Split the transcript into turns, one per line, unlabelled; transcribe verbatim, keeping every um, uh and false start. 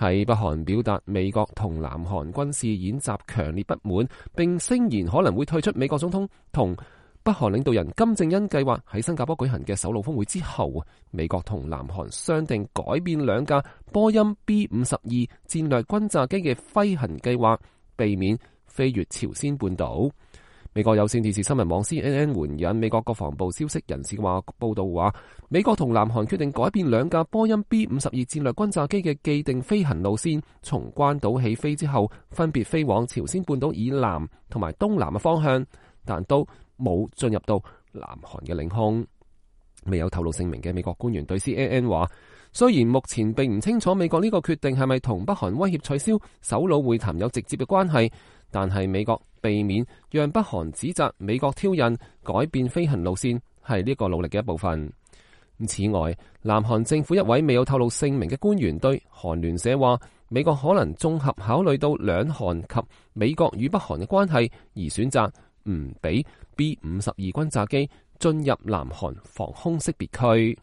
喺北韓表達美國同南韓軍事演習強烈不滿，並聲言可能會退出美國總統同北韓領導人金正恩計劃喺新加坡舉行嘅首腦峰會之後，美國同南韓商定改變兩架波音 B 五十二戰略轟炸機嘅飛行計劃，避免飛越朝鮮半島。美國有線電視新聞網 C N N 援引美國國防部消息人士話報道話，美國同南韓決定改變兩架波音 B 五十二戰略轟炸機嘅既定飛行路線，從關島起飛之後，分別飛往朝鮮半島以南同埋東南嘅方向，但都冇進入到南韓嘅領空。未有透露姓名嘅美國官員對 C N N 話，雖然目前並唔清楚美國呢個決定係咪同北韓威脅取消首腦會談有直接嘅關係，但係美國避免讓北韓指責美國挑釁改變飛行路線係呢個努力嘅一部分。此外，南韓政府一位未有透露姓名嘅官員對韓聯社話，美國可能綜合考慮到兩韓及美國與北韓嘅關係，而選擇唔俾 B 五十二轟炸機進入南韓防空識別區。